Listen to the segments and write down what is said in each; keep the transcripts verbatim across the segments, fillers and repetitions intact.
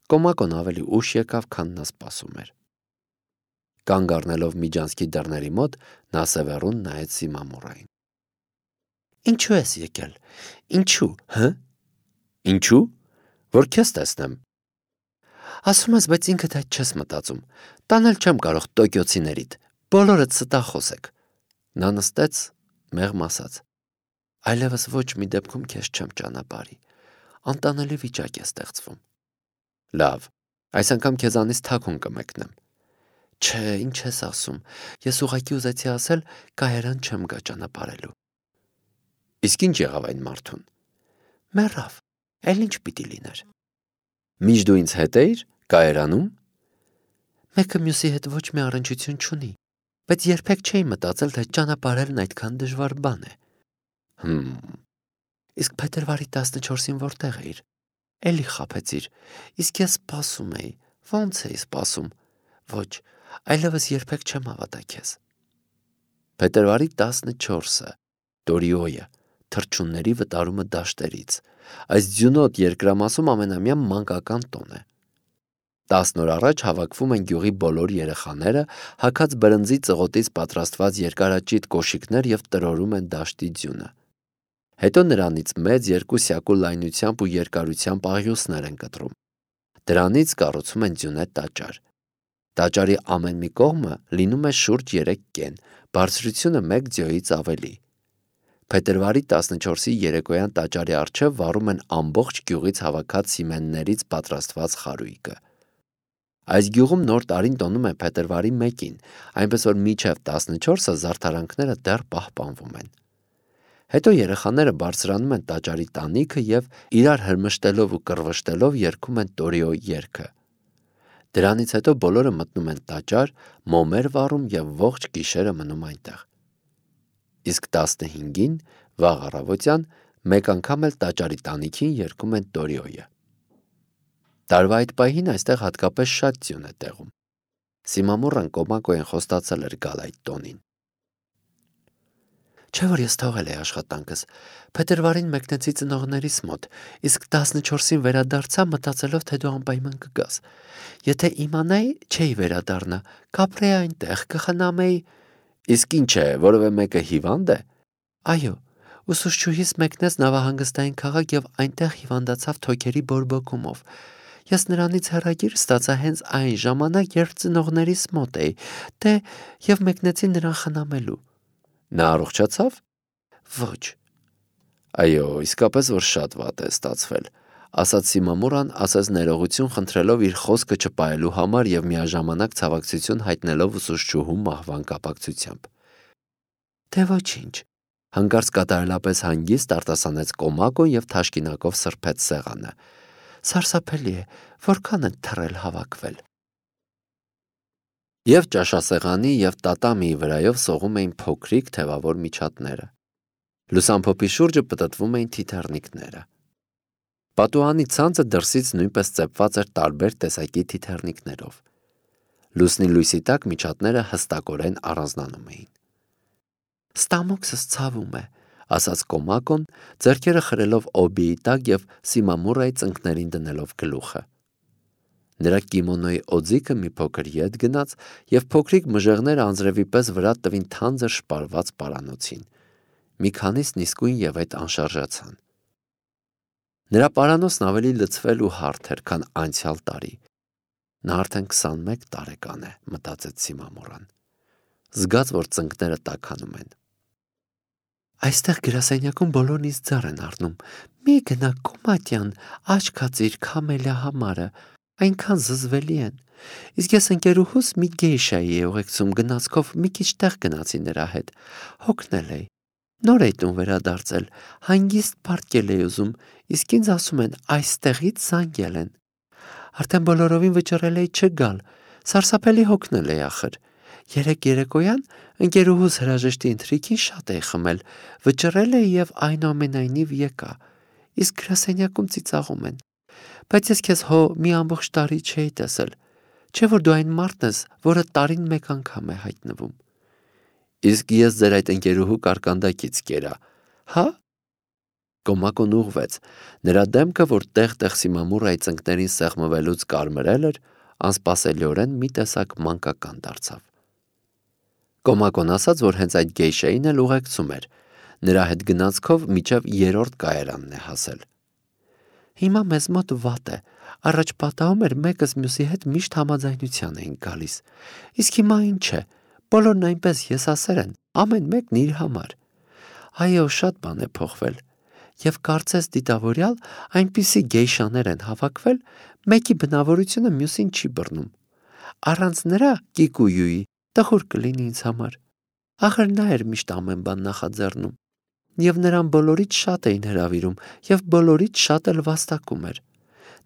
Կոմակոն ավելի ուշ եկավ, քան նա սպասում էր։ Կանգ առնելով միջանցքի դռների մոտ, նա սևեռուն նայեց Սիմամուրային։ Ինչու ես եկել։ Ինչու, հը։ Ինչու։ Որ քեզ տեսնեմ։ Ասում ես, բայց ինքդ այդ չես մտածում։ Տանել չեմ կարող տոկիոցիներիդ։ Բոլորդ ստախոս եք։ Նա նստեց, մեղմ ասաց. Այլևս ոչ մի դեպքում քեզ չեմ ճանապարհի։ Անտանելի վիճակ է ստեղծվում։ Լավ, այս անգամ քեզանից թաքուն կմեկնեմ։ Չէ, ինչ ես ասում։ Ես ուղղակի ուզեցի ասել, կայարան չեմ գա ճանապարհելու։ Իսկ ինչ եղավ այն մարդուն։ Մեռավ։ Էլ ինչ պիտի լիներ։ Միշտ դու ինձ հետ էիր կայարանում։ Մեկը մյուսի հետ ոչ մի առնչություն չունի, բայց երբեք չէի մտածել, թե ճանապարհելն այդքան դժվար բան է։ Հմ։ Իսկ փետրվարի տասնչորսին որտեղ էիր։ Էլի խաբեցիր։ Իսկ ես սպասում էի։ Ոնց էի սպասում։ Ոչ, այլևս երբեք չեմ հավատա քեզ։ Փետրվարի տասնչորսը Դորիոյը, թռչունների վտարումը դաշտերից։ Այս ձյունոտ երկրամասում ամենամյա մանկական տոն է։ Տասն օր առաջ հավաքվում են գյուղի բոլոր երեխաները, հագած բրնձի ծղոտից պատրաստված երկարաճիտ կոշիկներ եւ տրորում են դաշտի ձյունը։ Հետո նրանից մեծ երկու սյակու լայնությամբ ու երկարությամբ աղյուսներ են կտրում։ Դրանից կառուցում են ձյունե տաճար։ Տաճարի ամեն մի կողմը լինում է շուրջ երեք կեն, բարձրությունը մեկ ձյոյից ավելի։ Փետրվարի տասնչորսի երեկոյան տաճարի առջև վառում են ամբողջ գյուղից հավաքած սիմեններից պատրաստված խարույկը։ Այս գյուղում նոր տարին տոնում են փետրվարի մեկին, այնպես որ մինչև տասնչորսը զարդարանքները դեռ պահպանվում են։ Հետո երեխաները բարձրանում են տաճարի տանիքը եւ իրար հրմշտելով ու կռվշտելով երգում են Տորիո երգը։ Դրանից հետո բոլորը մտնում են տաճար, մոմեր վառում եւ ողջ գիշերը մնում այնտեղ։ Իսկ տասնհինգին վաղ առավոտյան մեկ անգամ էլ տաճարի տանիքին երգում են Տորիոյը։ Տարվա այդ պահին այստեղ հատկապես շատ ձյուն է տեղում։ Սիմամուրան Կոմակոյեն խոստացել էր գալ այդ տոնին։ Չէ՞ որ ես թողել էի աշխատանքս։ Փետրվարին մեկնեցի ծնողներիս մոտ, իսկ տասնչորսին վերադարձա մտածելով, թե դու անպայման կգաս։ Եթե իմանայի, չէի վերադառնա, կապրեի այնտեղ, կխնամեի։ Իսկ ինչ է, որևէ մեկը հիվանդ է։ Այո, ուսուցչուհիս մեկնեց նավահանգստային քաղաք եւ այնտեղ հիվանդացավ թոքերի բորբոքումով։ Ես նրանից հեռագիր ստացա հենց այն ժամանակ, երբ ծնողներիս մոտ էի, դե եւ մեկնեցի նրան խնամելու։ Նա առողջացավ։ Ոչ։ Այո, իսկապես որ շատ վատ է ստացվել, ասաց Սիմամուրան, ասաց ներողություն խնդրելով իր խոսքը չպահելու համար եւ միաժամանակ ցավակցություն հայտնելով ուսուցչուհու մահվան կապակցությամբ։ Դե ոչինչ։ Հանկարծ կատարելապես հանգիստ արտասանեց Կոմակոն եւ թաշկինակով սրբեց սեղանը։ Սարսափելի է, որքան են թռել հավաքվել։ Եվ ճաշասեղանի եւ տատամիի վրայով սողում էին փոքրիկ թևավոր միջատները։ Լուսամփոփի շուրջը պտտվում էին թիթեռնիկները։ Պատուհանի ցանցը դրսից նույնպես ծեփված էր տարբեր տեսակի թիթեռնիկներով։ Լուսնի լույսի տակ միջատները հստակորեն առանձնանում էին։ Ստամոքսս ցավում է, ասաց Կոմակոն, ձեռքերը խրելով օբիի տակ եւ Սիմամուրայի ծնկներին դնելով գլուխը։ Նրա կիմոնոյի օձիքը մի փոքր ետ գնաց եւ փոքրիկ մժեղները անձրևի պես վրա տվին թանձր շպարված պարանոցին։ Մի քանիսն իսկույն եւ այդ անշարժացան։ Նրա պարանոցն ավելի լցվել ու հարթ էր, քան անցյալ տարի։ Նա արդեն քսանմեկ տարեկան է, մտածեց Սիմամուրան։ Զգաց, որ ծնկները տաքանում են։ Այստեղ գրասենյակում բոլորն ինձ ձեռ են առնում։ Մի գնա Կոմատյան, աչքածիր քամելիա համարը, այնքան զզվելի են։ Իսկ ես ընկերուհուս մի գեյշայի է ուղեկցում գնացքով մի քիչ տեղ գնացի նրա հետ։ Հոգնել էի։ Նոր էի տուն վերադարձել, հանգիստ պարտկել էի ուզում, իսկ ինձ ասում են այստեղից զանգել են։ Արդեն բոլորովին վճռել էի չգալ, սարսափելի հոգնել էի ախր։ Երեք երեկոյան ընկերուհուս հրաժեշտի ընթրիքին շատ էի խմել, վճռել էի եւ այնուամենայնիվ եկա։ Իսկ գրասենյակում ծիծաղում են։ Բայց ես քեզ հո մի ամբողջ տարի չէի տեսել։ Չէ՞ որ դու այն մարդն ես, որը տարին մեկ անգամ է հայտնվում։ Իսկ ես ձեր այդ ընկերուհու կարկանդակից կերա, հա։ Կոմակոն ուղղվեց, նրա դեմքը, որ տեղ-տեղ Սիմամուրայի ծնկներին սեղմվելուց կարմրել էր, անսպասելիորեն մի տեսակ մանկական դարձավ։ Կոմակոն ասաց, որ հենց այդ գեյշային էլ ուղեկցում էր, նրա հետ գնացքով մինչև երրորդ կայարանն է հասել։ Հիմա մեզ մոտ վատ է, առաջ պատահում էր մեկս մյուսի հետ միշտ համաձայնության էին գալիս, իսկ հիմա ինչ է, բոլորն այնպես եսասեր են, ամեն մեկն իր համար։ Այո, շատ բան է փոխվել, և կարծես դիտավորյալ այնպիսի գեյշաներ են հավաքվել, մեկի բնավորությունը մյուսին չի բռնում։ Առանց նրա Կիկույուի տխուր կլինի ինձ համար։ Ախր նա էր միշտ ամեն բան նախաձեռնում, և նրան բոլորից շատ էին հրավիրում, և բոլորից շատ էլ վաստակում էր։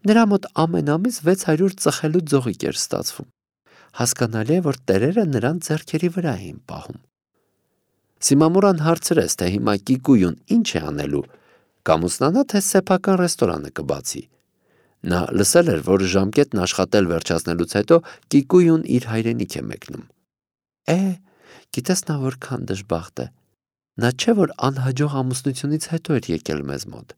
Նրա մոտ ամեն ամիս վեց հարյուր ծխելու ձողիկ էր ստացվում։ Հասկանալի է, որ տերերը նրան ձեռքերի վրա էին պահում։ Սիմամուրան հարցրեց, թե հիմա Կիկույուն ինչ է անելու, կամուսնանա, թե սեփական ռեստորանը կբացի։ Նա լսել էր, որ ժամկետն աշխատել վերջացնելուց հետո Կիկույուն իր հայրենիք է մեկնում։ Է, գիտես նա որքան դժբախտ է։ Նա չէ, որ անհաջող ամուսնությունից հետո էր եկել մեզ մոտ,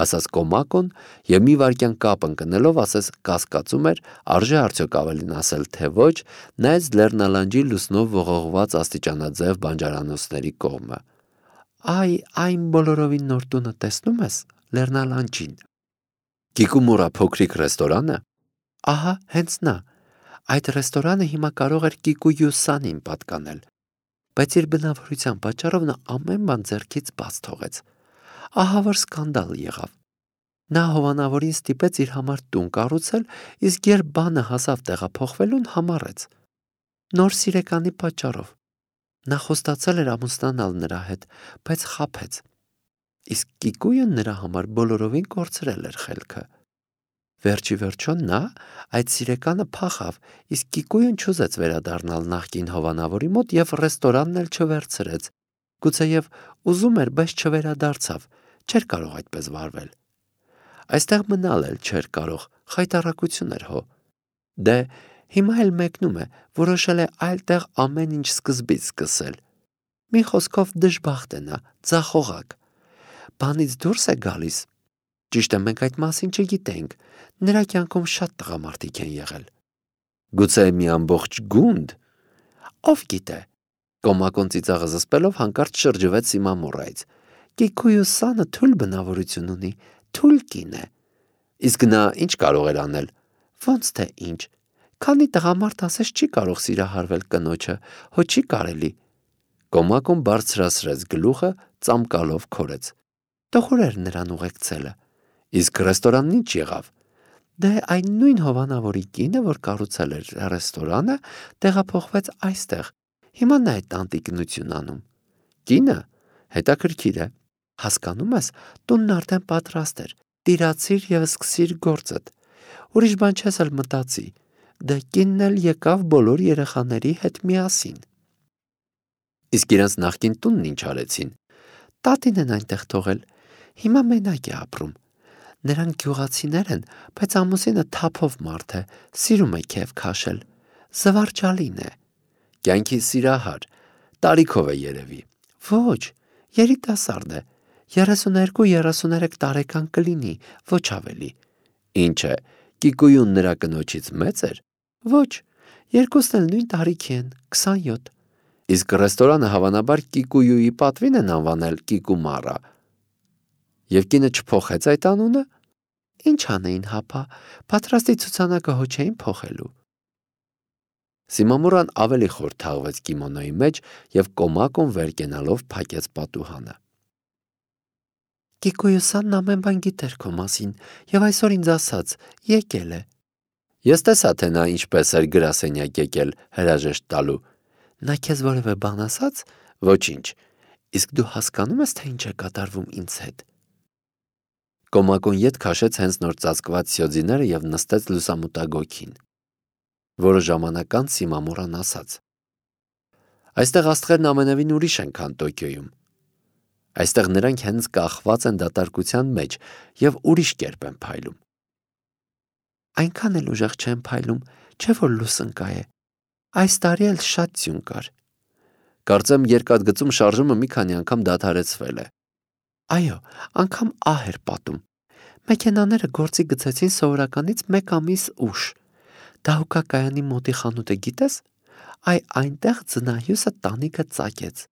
ասաց Կոմակոն և մի վայրկյան կապ ընկնելով ասես կասկածում էր, արժե արդյոք ավելին ասել, թե ոչ, նայեց լեռնալանջի լուսնով ողողված աստիճանաձև բանջարանոցների կողմը։ Այ, այն բոլորովին նոր տունը տեսնում ես, լեռնալանջին։ Կիկումուրա փոքրիկ ռեստորանը։ Ահա, հենց նա։ Այդ ռեստորանը հիմա կարող էր Կիկույու-սանին պատկանել, բայց իր բնավորության պատճառով նա ամեն բան ձեռքից բաց թողեց։ Ահա որ սկանդալ եղավ։ Նա հովանավորին ստիպեց իր համար տուն կառուցել, իսկ երբ բանը հասավ տեղափոխվելուն, համառեց։ Նոր սիրեկանի պատճառով։ Նա խոստացել էր ամուսնանալ նրա հետ, բայց խաբեց։ Իսկ Կիկույուն նրա համար բոլորովին կորցրել էր խելքը։ Վերջի վերջո նա այդ սիրեկանը փախավ, իսկ Կիկույուն չուզեց վերադառնալ նախկին հովանավորի մոտ և ռեստորանն էլ չվերցրեց։ Գուցեև ուզում էր, բայց չվերադարձավ, չէր կարող այդպես վարվել։ Այստեղ մնալ էլ չէր կարող, խայտառակություն էր հո։ Դե, հիմա էլ մեկնում է, որոշել է այլ տեղ ամեն ինչ սկզբից սկսել։ Մի խոսքով դժբախտ է նա, ձախողակ։ Բանից դուրս է գալիս։ Ճիշտ է, մենք այդ մասին չգիտենք, նրա կյանքում շատ տղամարդիկ են եղել։ Գուցե մի ամբողջ գունդ։ Ով գիտե։ Կոմակոն ծիծաղը զսպելով հանկարծ շրջվեց Սիմամուրայից։ Կիկույու-սանը թույլ բնավորություն ունի, թույլ կին է։ Իսկ նա ինչ կարող էր անել։ Ոնց թե ինչ։ Քանի տղամարդ ասես չի կարող սիրահարվել կնոջը, հո չի կարելի։ Կոմակոն բարձրացրեց գլուխը, ծամկալով քորեց։ Տխուր էր նրան ուղեկցելը։ Իսկ ռեստորանն ինչ եղավ։ Դե այն նույն հովանավորի կինը, որ կառուցել էր ռեստորանը, տեղափոխվեց այստեղ։ Հիմա նա է տանտիկնություն անում։ Կինը հետաքրքիր է։ Հասկանում ես, տունն արդեն պատրաստ էր։ Տիրացիր և սկսիր գործդ։ Ուրիշ բան չես էլ մտածի։ Դե կինն էլ եկավ բոլոր երեխաների հետ միասին։ Իսկ իրենց նախկին տունն ինչ արեցին։ Տատին են այնտեղ թողել։ Հիմա մենակ է ապրում։ Նրանք գյուղացիներ են, բայց ամուսինը թափով մարդ է, սիրում է քեֆ քաշել։ Զվարճալին է։ Կյանքի սիրահար, տարիքով է երևի։ Ոչ, երիտասարդ է։ երեսուներկու երեսուներեք տարեկան կլինի, ոչ ավելի։ Ինչ է, Կիկույուն նրա կնոջից մեծ էր։ Ոչ, երկուսն էլ նույն տարիքի են, քսանյոթ։ Իսկ ռեստորանը հավանաբար Կիկույուի պատվին են անվանել Կիկումարա։ Եվ կինը չփոխեց այդ անունը։ Ինչ անեին հապա, պատրաստի ցուցանակը հո չէին փոխելու։ Սիմամուրան ավելի խոր թաղվեց կիմոնոյի մեջ և Կոմակոն վեր կենալով փակեց պատուհանը։ Կիկույու-սանն ամեն բան գիտեր քո մասին և այսօր ինձ ասաց, եկել է։ Ես տեսա, թե նա ինչպես էր գրասենյակ եկել հրաժեշտ տալու։ Նա քեզ որևէ բան ասաց։ Ոչինչ։ Իսկ դու հասկանում ես, թե ինչ է կատարվում ինձ հետ։ Կոմակոն ետ քաշեց հենց նոր ծածկված սյոձիները և նստեց լուսամուտագոգին։ Որը ժամանակ անց Սիմամուրան ասաց. Այստեղ աստղերն ամենևին ուրիշ են, քան Տոկիոյում։ Այստեղ նրանք հենց կախված են դատարկության մեջ և ուրիշ կերպ են փայլում։ Այնքան էլ ուժեղ չեն փայլում, չէ որ լուսնկա է։ Այս տարի էլ շատ ձյուն կար։ Կարծեմ երկաթգծում շարժումը մի քանի անգամ դադարեցվել է։ Այո, անգամ ահ էր պատում։ Մեքենաները գործի գցեցին սովորականից մեկ ամիս ուշ։ Դահուկակայանի մոտի խանութը գիտես։ Այ այնտեղ ձնահյուսը տանիքը ծակեց։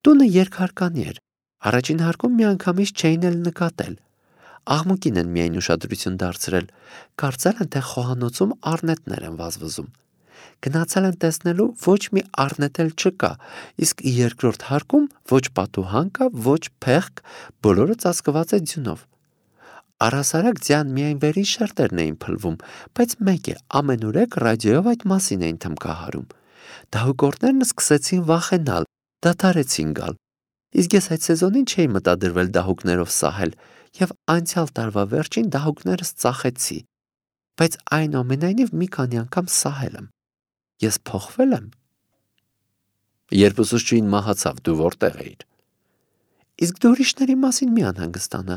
Տունը երկհարկանի էր։ Առաջին հարկում միանգամից չէին էլ նկատել։ Աղմուկին են միայն ուշադրություն դարձրել։ Կարծել են, թե խոհանոցում առնետներ են վազվզում։ Գնացել են տեսնելու, ոչ մի առնետ էլ չկա, իսկ երկրորդ հարկում ոչ պատուհան կա, ոչ փեղկ, բոլորը ծածկված է ձյունով։ Առհասարակ ձյան միայն վերին շերտերն էին փլվում, բայց մեկ է, ամենուրեք ռադիոյով այդ մասին էին թմկահարում։ Դահուկորդներն սկսեցին վախենալ, դադարեցին գալ։ Իսկ ես այդ սեզոնին չէի մտադրվել դահուկներով սահել եւ անցյալ տարվա վերջին դահուկներս ծախեցի, բայց այնուամենայնիվ մի քանի անգամ սահել եմ։ Ես փոխվել եմ։ Երբ ուսուցչուհին մահացավ, դու որտեղ էիր։ Իսկ դու ուրիշների մասին մի անհանգստանա։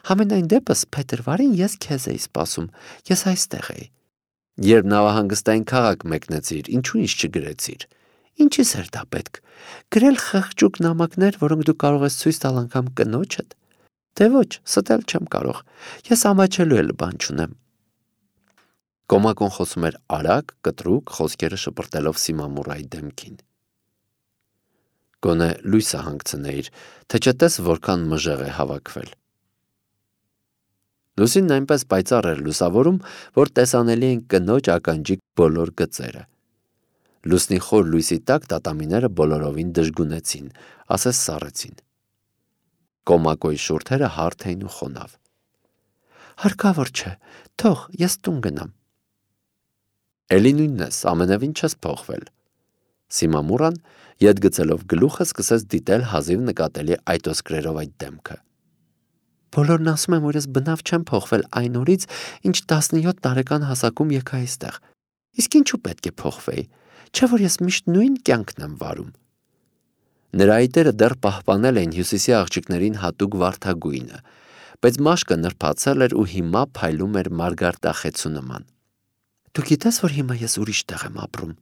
Համենայն դեպս փետրվարին ես քեզ էի սպասում, ես այստեղ էի։ Երբ նավահանգստային քաղաք մեկնեցիր, ինչու ինձ չգրեցիր։ Ինչիս էր դա պետք։ Գրել խղճուկ նամակներ, որոնք դու կարող ես ցույց տալ անգամ կնոջդ։ Դե ոչ, ստել չեմ կարող։ Ես ամաչելու էլ բան չունեմ։ Կոմակոն խոսում էր արագ, կտրուկ, խոսքերը շպրտելով Սիմամուրայի դեմքին։ Գոնե լույսը հանգցնեիր, թե չտես որքան մժեղ է հավաքվել։ Լուսինն այնպես պայծառ էր լուսավորում, որ տեսանելի են կնոջ ականջիկ բոլոր գծերը։ Լուսնի խոր լույսի տակ տատամիները բոլորովին դժգունեցին, ասես սառեցին։ Կոմակոյի շուրթերը հարթ էին ու խոնավ։ Հարկավոր չէ, թող ես տուն գնամ։ Էլի նույնն ես, ամենևին չես փոխվել։ Սիմամուրան, ետ գցելով գլուխը, սկսեց դիտել հազիվ նկատելի այտոսկրերով այդ դեմքը։ Բոլորն ասում են, որ ես բնավ չեմ փոխվել այն օրից, ինչ տասնյոթ տարեկան հասակում եկա այստեղ։ Իսկ ինչու պետք է փոխվեի, չէ՞ որ ես միշտ նույն կյանքն եմ վարում։ Նրա այտերը դեռ պահպանել էին հյուսիսի աղջիկներին հատուկ վարդագույնը, բայց մաշկը նրբացել էր ու հիմա փայլում էր մարգարտախեցու նման։ Դու գիտես, որ հիմա ես ուրիշ տեղ եմ ապրում։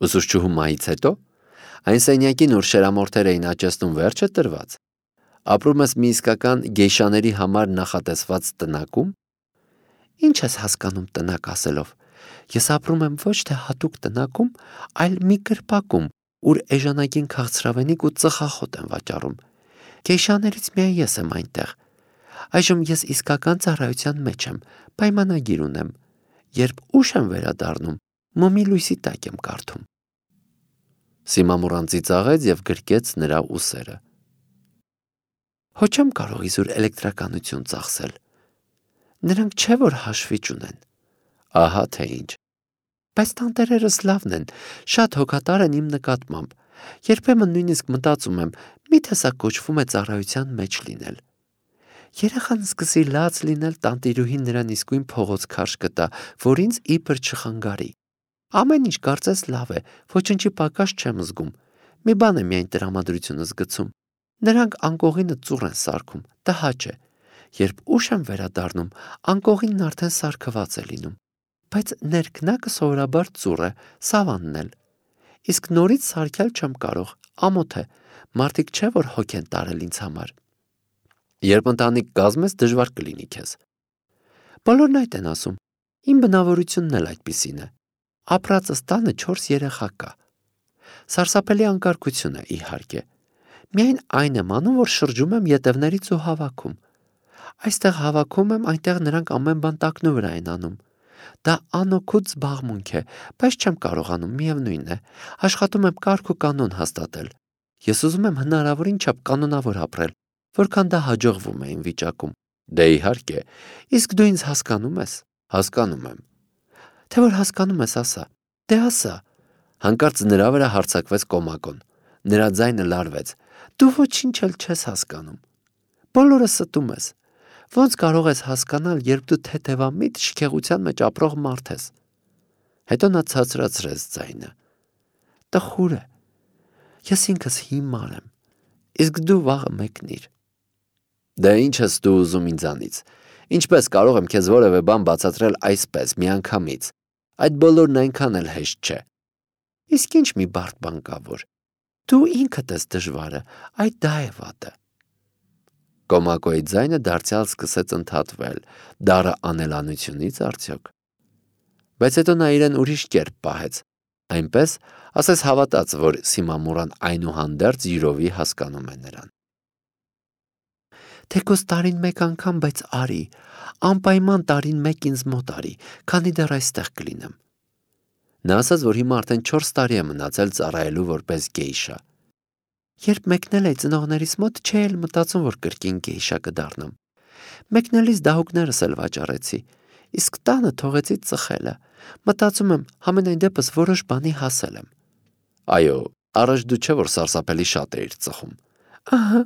Ուսուցչուհու մահից հետո այն սենյակին, ուր շերամորթեր էին աճեցնում, վերջը տրված։ Ապրում ես մի իսկական գեյշաների համար նախատեսված տնակում։ Ինչ ես հասկանում տնակ ասելով։ Ես ապրում եմ ոչ թե հատուկ տնակում, այլ մի կրպակում, ուր էժանագին քաղցրավենիք ու ծխախոտ են վաճառում։ Գեյշաներից միայն ես եմ այնտեղ։ Այժմ ես իսկական ծառայության մեջ եմ, պայմանագիր ունեմ։ Երբ ուշ եմ վերադառնում, մոմի լույսի տակ եմ կարդում։ Սիմամուրան ծիծաղեց եւ գրկեց նրա ուսերը։ Հո չեմ կարող իզուր էլեկտրականություն ծախսել։ Նրանք չէ որ հաշվի չունեն։ Ահա թե ինչ։ Բայց տանտերերս լավն են, շատ հոգատար են իմ նկատմամբ։ Երբեմն նույնիսկ մտածում եմ, միթե սա կոչվում է ծառայության մեջ լինել։ Երեխան սկսի լաց լինել, տանտիրուհին նրան իսկույն փողոց քարշ կտա, որ ինձ իբր չխանգարի։ Ամեն ինչ կարծես լավ է, ոչնչի պակաս չեմ զգում։ Մի բան է միայն տրամադրությունս գցում։ Նրանք անկողինը ծուռ են սարքում, տհաճ է։ Երբ ուշ եմ վերադառնում, անկողինն արդեն սարքված է լինում։ Բայց ներքնակը սովորաբար ծուռ է, սավանն էլ։ Իսկ նորից սարքել չեմ կարող, ամոթ է, մարդիկ չէ որ հոգ են տարել ինձ համար։ Երբ ընտանիք կազմես, դժվար կլինի քեզ։ Բոլորն այդ են ասում։ Իմ բնավորությունն էլ այդպիսին է։ Ապրածս տանը չորս երեխա կա։ Սարսափելի անկարգություն է, իհարկե։ Միայն այն եմ անում, որ շրջում եմ ետևներից ու հավաքում։ Այստեղ հավաքում եմ, այնտեղ նրանք ամեն բան տակնու վրա են անում։ Դա անօգուտ զբաղմունք է, բայց չեմ կարողանում, միևնույն է։ Աշխատում եմ կարգ ու կանոն հաստատել։ Ես ուզում եմ հնարավորին չափ կանոնավոր ապրել, որքան դա հաջողվում է իմ վիճակում։ Դե իհարկե, իսկ դու ինձ հասկանում ես։ Հասկանում եմ։ Թե որ հասկանում ես, ասա։ Դե ասա։ Հանկարծ նրա վրա հարձակվեց Կոմակոն։ Նրա ձայնը լարվեց։ Դու ոչինչ էլ չես հասկանում։ Բոլորը ստում ես։ Ոնց կարող ես հասկանալ, երբ դու թեթևամիտ շքեղության մեջ ապրող մարդ ես։ Հետո նա ցածրացրեց ձայնը։ Տխուր է։ Ես ինքս հիմար եմ։ Իսկ դու վաղը մեկնիր։ Դե ինչ ես դու ուզում ինձանից։ Ինչպես կարող եմ քեզ որևէ բան բացատրել այսպես միանգամից։ Այդ բոլորն այնքան էլ հեշտ չէ։ Իսկ ինչ մի բարդ բան կա որ։ Դու ինքդ ես դժվարը, այդ դա է վատը։ Կոմակոյի ձայնը դարձյալ սկսեց ընդհատվել, դառը անելանությունից արդյոք։ Բայց հետո նա իրեն ուրիշ կերպ պահեց, այնպես, ասես հավատաց, որ Սիմամուրան այնուհանդերձ յուրովի հասկանում է նրան։ Թեկուզ տարին մեկ անգամ, բայց արի, անպայման տարին մեկ ինձ մոտ արի, քանի դեռ այստեղ կլինեմ։ Նա ասաց, որ հիմա արդեն չորս տարի է մնացել ծառայելու որպես գեյշա։ Երբ մեկնել էի ծնողներիս մոտ, չէի էլ մտածում, որ կրկին գեյշա կդառնամ։ Մեկնելիս դահուկներս էլ վաճառեցի, իսկ տանը թողեցի ծխելը։ Մտածում եմ, համենայն դեպս որոշ բանի հասել եմ։ Այո, առաջ դու չէ որ սարսափելի շատ էիր ծխում։ Ահա։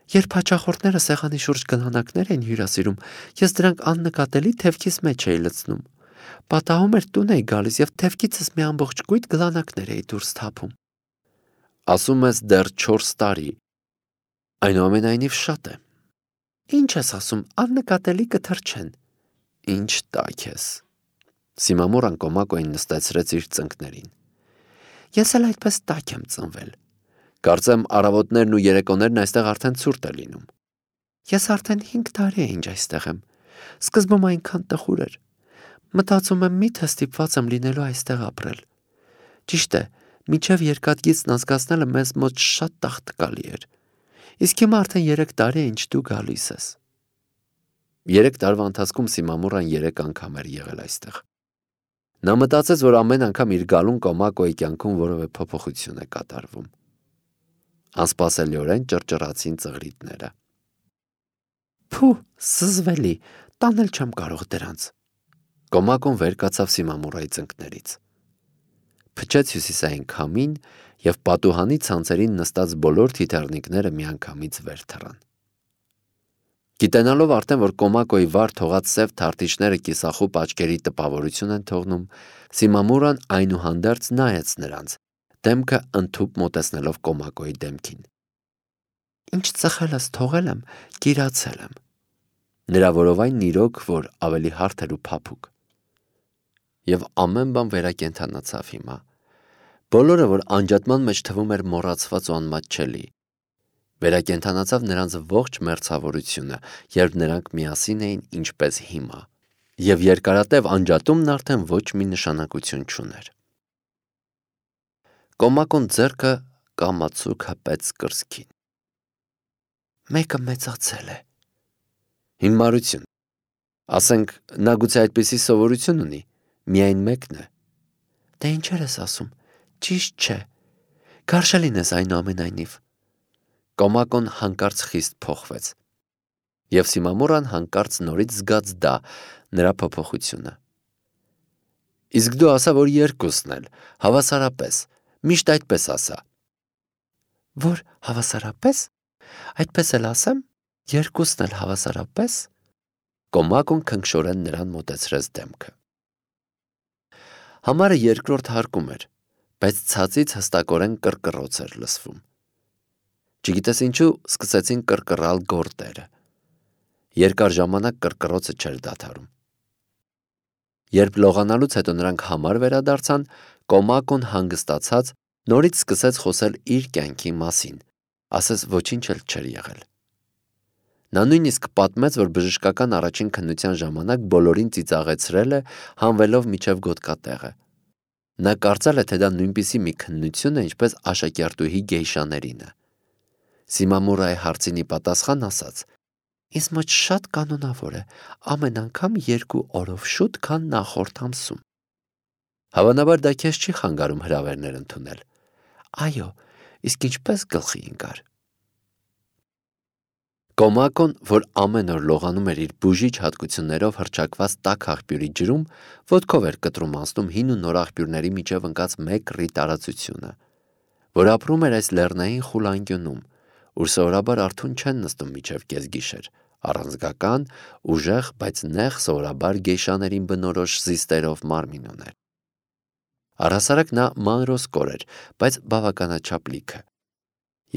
Երբ հաճախորդները սեղանի շուրջ գլանակներ էին հյուրասիրում, ես դրանք աննկատելի թևքիս մեջ էի լցնում։ Պատահում էր տուն էի գալիս եւ թևքիցս մի ամբողջ կույտ գլանակներ էի դուրս թափում։ Ասում ես դեռ չորս տարի։ Այնուամենայնիվ շատ է։ Ինչ ես ասում, աննկատելի կթրջեն։ Ինչ տաք ես։ Սիմամուրան Կոմակոյին նստեցրեց իր ծնկներին։ Ես էլ այդպես տաք եմ ծնվել։ Կարծեմ առավոտներն ու երեկոներն այստեղ արդեն ցուրտ է լինում։ Ես արդեն հինգ տարի է ինչ այստեղ եմ։ Սկզբում այնքան տխուր էր։ Մտածում եմ միթե ստիպված եմ լինելու այստեղ ապրել։ Ճիշտ է, մինչև երկաթգիծն անցկացնելը մեզ մոտ շատ տաղտկալի էր։ Իսկ հիմա արդեն երեք տարի է ինչ դու գալիս ես։ Երեք տարվա ընթացքում Սիմամուրան երեք անգամ էր եղել այստեղ։ Նա մտածեց, որ ամեն անգամ իր գալուն Կոմակոյի կյանքում որևէ փոփոխություն է կատարվում։ Անսպասելիորեն ճռճռացին ծղրիտները։ Փու, զզվելի, տանել չեմ կարող դրանց։ Կոմակոն վեր կացավ Սիմամուրայի ծնկներից։ Փչեց հյուսիսային քամին և պատուհանի ցանցերին նստած բոլոր թիթեռնիկները միանգամից վեր թռան։ Գիտենալով արդեն, որ Կոմակոյի վար թողած սև թարթիչները կիսախուպ աչքերի տպավորություն են թողնում, Սիմամուրան այնուհանդերձ նայեց նրանց, դեմքը ընդհուպ մոտեցնելով Կոմակոյի դեմքին։ Ինչ ծխելս թողել եմ, կիրացել եմ։ Նրա որովայնն իրոք, որ ավելի հարթ էր ու փափուկ։ Եվ ամեն բան վերակենդանացավ հիմա։ Բոլորը, որ անջատման մեջ թվում էր մոռացված ու անմատչելի։ Վերակենդանացավ նրանց ողջ մերձավորությունը, երբ նրանք միասին էին ինչպես հիմա, և երկարատև անջատումն արդեն ոչ մի նշանակություն չուներ։ Կոմակոն ձեռքը կամացուկ հպեց կրծքին։ Մեկը մեծացել է։ Հիմարություն։ Ասենք, նա գուցե այդպիսի սովորություն ունի, միայն մեկն է։ Դե ինչեր ես ասում, ճիշտ չէ, գարշելին ես այնուամենայնիվ։ Կոմակոն հանկարծ խիստ փոխվեց։ Եվ Սիմամուրան հանկարծ նորից զգաց դա, նրա փոփոխությունը։ Իսկ դու ասա, որ երկուսն էլ, հավասարապես, միշտ այդպես ասա։ Որ հավասարապես, այդպես էլ ասեմ, երկուսն էլ հավասարապես։ Կոմակոն քնքշորեն նրան մոտեցրեց դեմքը։ Համարը երկրորդ հարկում էր, բայց ցածից հստակորեն կռկռոց էր լսվում։ Չգիտես ինչու սկսեցին կռկռալ գորտերը։ Երկար ժամանակ կռկռոցը չէր դադարում։ Երբ լողանալուց հետո նրանք համար վերադարձան, Կոմակոն հանգստացած նորից սկսեց խոսել իր կյանքի մասին, ասես ոչինչ էլ չէր եղել։ Նա նույնիսկ պատմեց, որ բժշկական առաջին քննության ժամանակ բոլորին ծիծաղեցրել է, հանվելով միջև գոտկատեղը։ Նա կարծել է, թե դա նույնպիսի մի քննություն է, ինչպես աշակերտուհի գեյշաներինը։ Սիմամուրայի հարցինի պատասխան ասաց. Ինձ մոտ շատ կանոնավոր է, ամեն անգամ երկու օրով շուտ, քան նախորդ ամսում։ Հավանաբար դա քեզ չի խանգարում հրավերներ ընդունել։ Այո, իսկ ինչպես գլխի ընկար։ Կոմակոն, որ ամեն օր լողանում էր իր բուժիչ հատկություններով հռչակված տաք աղբյուրի ջրում, ոտքով էր կտրում անցնում հին ու նոր աղբյուրների միջև ընկած մեկ ռի տարածությունը, որ ապրում էր այս լեռնային խուլ անկյունում, ուր սովորաբար արթուն չեն նստում միջև կեսգիշեր, առանձգական, ուժեղ, բայց նեղ սովորաբար գեյշաներին բնորոշ զիստերով մարմին ուներ։ Առհասարակ նա մանրոսկոր էր, բայց բավականաչափ լիքը։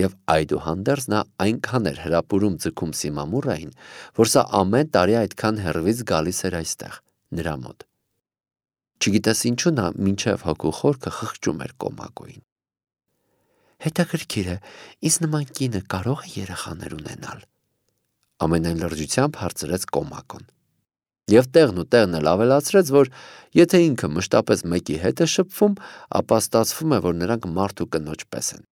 Եվ այդուհանդերձ նա այնքան էր հրապուրում ձգում Սիմամուրային, որ սա ամեն տարի այդքան հեռվից գալիս էր այստեղ, նրա մոտ։ Չգիտես ինչու նա մինչև հոգու խորքը խղճում էր Կոմակոյին։ Հետաքրքիր է, ինձ նման կինը կարող է երեխաներ ունենալ։ ամենայն լրջությամբ հարցրեց Կոմակոն։ Եվ տեղն ու տեղն էլ ավելացրեց, որ եթե ինքը մշտապես մեկի հետ է շփվում, ապա ստացվում է, որ նրանք մարդ ու կնոջ պես են։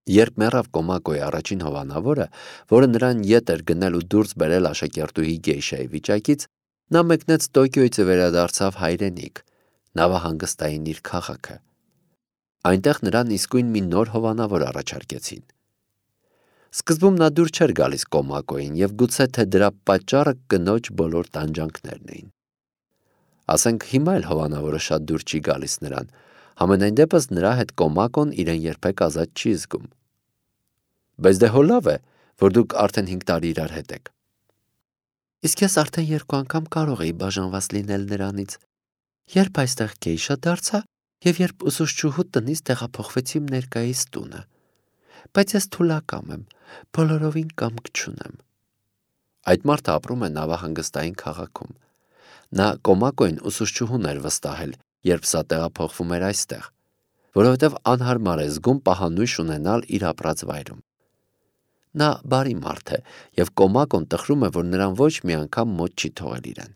Երբ մեռավ Կոմակոյի առաջին հովանավորը, որը նրան ետ էր գնել ու դուրս բերել աշակերտուհի գեյշայի վիճակից, նա մեկնեց Տոկիոյից ու վերադարձավ հայրենիք, նավահանգստային իր քաղաքը։ Այնտեղ նրան իսկույն մի նոր հովանավոր առաջարկեցին։ Սկզբում նա դուր չէր գալիս Կոմակոյին և գուցե թե դրա պատճառը կնոջ բոլոր տանջանքներն էին։ Ասենք հիմա էլ հովանավորը շատ դուր չի գալիս նրան, համենայն դեպս նրա հետ Կոմակոն իրեն երբեք ազատ չի զգում։ Բայց դե հո լավ է, որ դուք արդեն հինգ տարի իրար հետ եք։ Իսկ ես արդեն երկու անգամ կարող էի բաժանված լինել նրանից, երբ այստեղ գեյշա դարձա և երբ ուսուցչուհու տնից տեղափոխվեցի իմ ներկայիս տունը։ Բայց ես թուլակամ եմ, բոլորովին կամք չունեմ։ Այդ մարդը ապրում է նավահանգստային քաղաքում։ Նա Կոմակոյին ուսուցչուհուն էր վստահել, երբ սա տեղափոխվում էր այստեղ, որովհետև անհարմար է զգում պահանույշ ունենալ իր ապրած վայրում։ Նա բարի մարդ է, և Կոմակոն տխրում է, որ նրան ոչ մի անգամ մոտ չի թողել իրեն։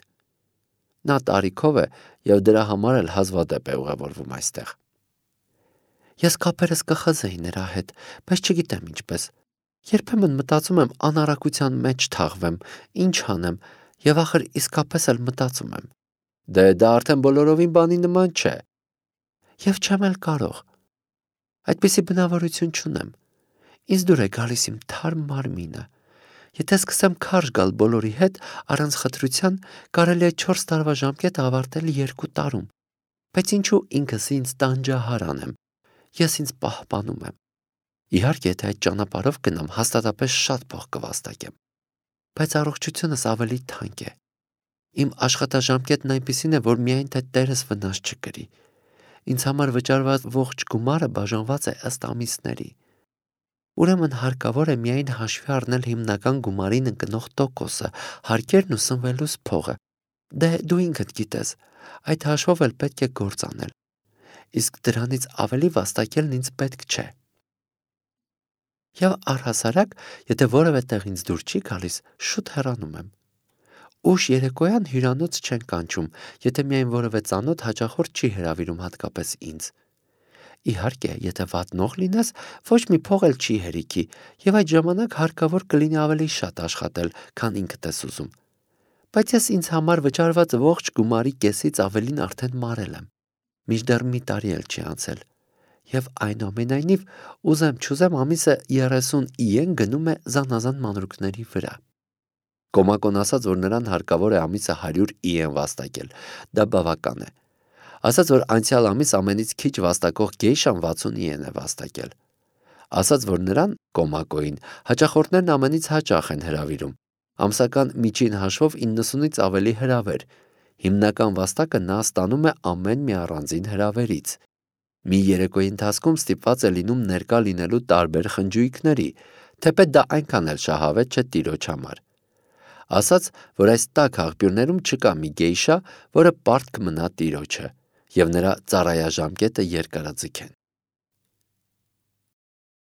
Նա տարիքով է և դրա համար էլ հազվադեպ է ուղևորվում այստեղ։ Ես կապերս կխզեի նրա հետ, բայց չգիտեմ ինչպես։ Երբեմն մտածում եմ անառակության մեջ թաղվեմ, ինչ անեմ, և ախր իսկապես էլ մտածում եմ. Դե դա արդեն բոլորովին բանի նման չէ։ Եվ չեմ էլ կարող։ Այդպիսի բնավորություն չունեմ։ Ինձ դուր է գալիս իմ թարմ մարմինը։ Եթե սկսեմ քարշ գալ բոլորի հետ, առանց խտրության, կարելի է չորս տարվա ժամկետը ավարտել երկու տարում։ Բայց ինչու ինքս ինձ տանջահար անեմ։ Ես ինձ պահպանում եմ։ Իհարկե, եթե այդ ճանապարհով գնամ, հաստատապես շատ փող կվաստակեմ։ Բայց առողջությունս ավելի թանկ է։ Իմ աշխատաժամկետն այնպիսին է, որ միայն թե տերս վնաս չկրի։ Ինձ համար վճարված ողջ գումարը բաժանված է ըստ ամիսների։ Ուրեմն հարկավոր է միայն հաշվի առնել հիմնական գումարին ընկնող տոկոսը, հարկերն ու սնվելուս փողը։ Դե դու ինքդ գիտես, այդ հաշվով էլ պետք է գործ անել։ Իսկ դրանից ավելի վաստակելն ինձ պետք չէ։ Եվ առհասարակ, եթե որևէ տեղ ինձ դուր չի գալիս, շուտ հեռանում եմ։ Ուշ երեկոյան հյուրանոց չեն կանչում, եթե միայն որևէ ծանոթ հաճախորդ չի հրավիրում հատկապես ինձ։ Իհարկե, եթե վատնող լինես, ոչ մի փող էլ չի հերիքի, և այդ ժամանակ հարկավոր կլինի ավելի շատ աշխատել, քան ինքդ ես ուզում։ Բայց ես ինձ համար վճարված ողջ գումարի կեսից ավելին արդեն մարել եմ։ Մինչդեռ մի տարի էլ չի անցել։ Եվ այնուամենայնիվ, ուզեմ չուզեմ ամիսը երեսուն իեն գնում է զանազան մանրուքների վրա։ Կոմակոն ասաց, որ նրան հարկավոր է ամիսը հարյուր իեն վաստակել։ Դա բավական է։ Ասաց, որ անցյալ ամիս ամենից քիչ վաստակող գեյշան վաթսուն իեն է վաստակել։ Ասաց, որ նրան, Կոմակոյին, հաճախորդներն ամենից հաճախ են հրավիրում։ Ամսական միջին հաշվով իննսունից ավելի հրավեր։ Հիմնական վաստակը նա ստանում է ամեն մի առանձին հրավերից։ Մի երեկոյի ընթացքում ստիպված է լինում ներկա լինելու տարբեր խնջույքների, թեպետ դա այնքան էլ շահավետ չէ տիրոջ համար։ Ասաց, որ այս տաք աղբյուրներում չկա մի գեյշա, որը պարտք մնա տիրոջը, և նրա ծառայաժամկետը երկարաձգեն։